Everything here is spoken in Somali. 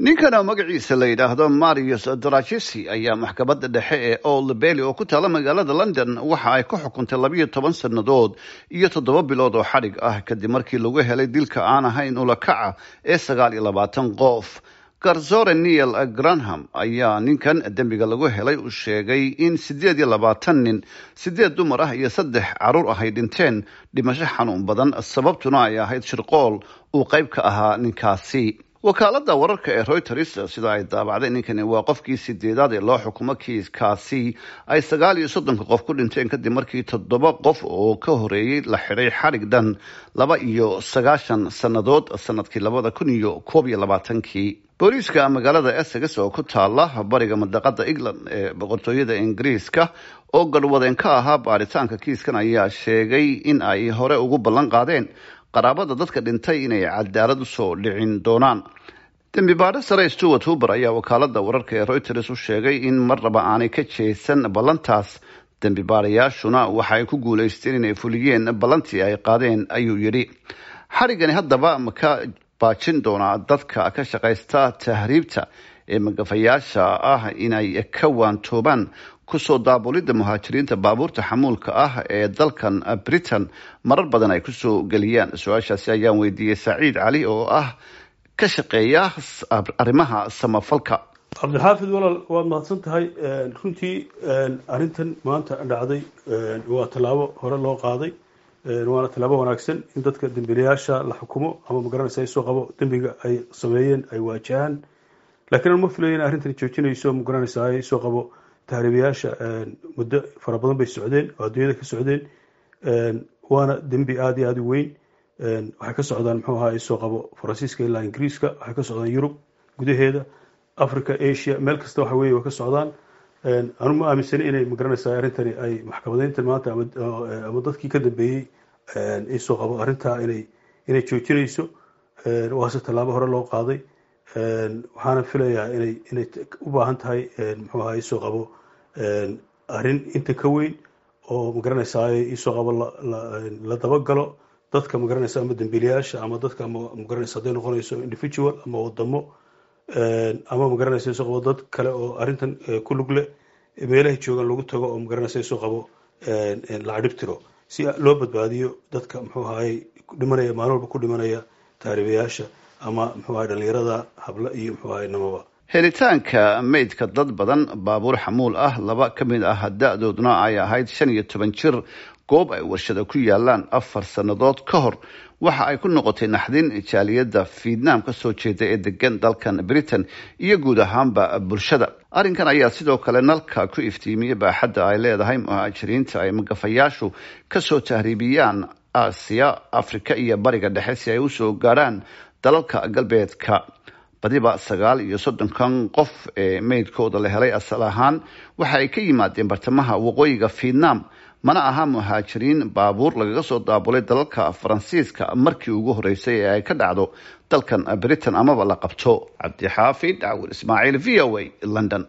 Ninkan oo magaciisa la yidhaahdo Marius Dragisi ayaa maxkamadda dhexe ee Old Bailey oo ku taala magaalada London waxa ay ku xukuntay 12 sannadood iyo 7 bilood oo xadhig ah, kadib markii lagu helay dilka aan ahayn ulakaca ee 29 qof. Garsoore Neil Granham ayaa ninkan dembiga lagu helay u sheegay in 28 nin, 8 dumar ah iyo 3 caruur ah ay dhinteen dhimasho xanuun badan, sababtuna ay ahayd shirqool uu qayb ka ahaa ninkaasi. Wakaalada wararka ee Reuters sida ay daabacday, ninkani waa qofkii sideedaad ee loo xukumo kiiskaasi ay 39-ka qof ku dhinteen, kadib markii 7 qof oo ka horeeyey la xidhay xadhig dhan 92 sannadood sanadkii 2021-kii. Booliiska magaalada Essex oo ku taala bariga mandaqada England ee Boqortooyada Ingiriiska, oo garwadeen ka ahaa baaritaanka kiiskan, ayaa sheegay in ay hore ugu ballan qaadeen qaraabada dadka dhintay inay cadaalad usoo dhicin doonaan. Dembi baadho sare Stewart Huber ayaa wakaalada wararka ee Reuters u sheegay in marnaba aanay ka jeesan ballantaas. Dembi baadhayaashuna waxa ay ku guuleysteen inay fuliyeen ballantii ay qaadeen, ayuu yidhi. Xadhigani haddaba ma ka baajin doonaa dadka ka shaqaysta tahriibta ee magafayaasha ah inay ka waantoobaan kusoo daabulidda muhaajiriinta baabuurta xamuulka ah ee dalkan Britain marar badan ay kusoo geliyaan? Su-aashaasi ayaan weydiiyey Saciid Cali oo ah ka shaqeeya arrimaha samafalka. Cabdixaafid walaal, waad mahadsan tahay. Runtii arrintan maanta dhacday waa tallaabo hore loo qaaday, waana tallaabo wanaagsan in dadka dembiilayaasha la xukumo ama magaranaysa ay soo qabo dembiga ay sameeyeen ay waajahaan. Laakiin an ma filayo in arrintan joojinayso, magaranaysa ay soo qabo tahriibayaasha. Muddo fara badan bay socdeen oo adduunyada ka socdeen, waana dembi aada iyo aada u weyn. Waxay ka socdaan, muxuu ahaa, soo qabo Faransiiska ilaa Ingiriiska, waxay ka socdaan Yurub gudaheeda, Africa, Asia, meel kasta waxa weye way ka socdaan. Anu ma aaminsani inay magaranaysaa arrintani ay maxkamadeyntan maanta ama dadkii ka dambeeyey isoo qabo arrintaa inay joojinayso. Waase tallaabo hore loo qaaday, waxaana filayaa inay u baahan tahay, muxuu ahaa, isoo qabo arrin inta ka weyn oo magaranaysaa isoo qabo la dabagalo dadka magaranaysa ama dembiilayaasha ama dadka ama magaranaysa hadday noqonayso individual ama wadamo ama magaranaysa isoo qabo dad kale oo arrintan ku lug leh, meelahay joogaan lagu tago oo magaranaysa isoo qabo la cadhib tiro, si loo badbaadiyo dadka, muxuu ahaayey, dhimanaya maalin walba ku dhimanaya tahriibayaasha ama, muxuu ahay, dhalinyarada habla iyo, muxuu ahay, namaba. Helitaanka meydka dad badan baabuur xamuul ah, laba ka mid ah da-dooduna ay ahayd 15 jir, goob ay warshada ku yaalaan 4 sannadood ka hor, waxa ay ku noqotay naxdin jaaliyadda Fiidnaam ka soo jeeda ee degan dalkan Britain iyo guud ahaanba bulshada. Arrinkan ayaa sidoo kale nalka ku iftiimiyey baaxadda ay leedahay muhaajiriinta ay magafayaashu kasoo tahriibiyaan Aasiya, Afrika iyo Bariga Dhexe si ay usoo gaadhaan dalalka galbeedka. Badiba 39-kan qof ee meydkooda la helay asal ahaan waxa ay ka yimaadeen bartamaha waqooyiga Vietnam, mana aha muhaajiriin baabuur lagaga soo daabulay dalalka Faransiiska markii ugu horeysay ee ay ka dhacdo dalkan Britain amaba la qabto. Cabdixaafid Cawil Ismaaciil, VOA, London.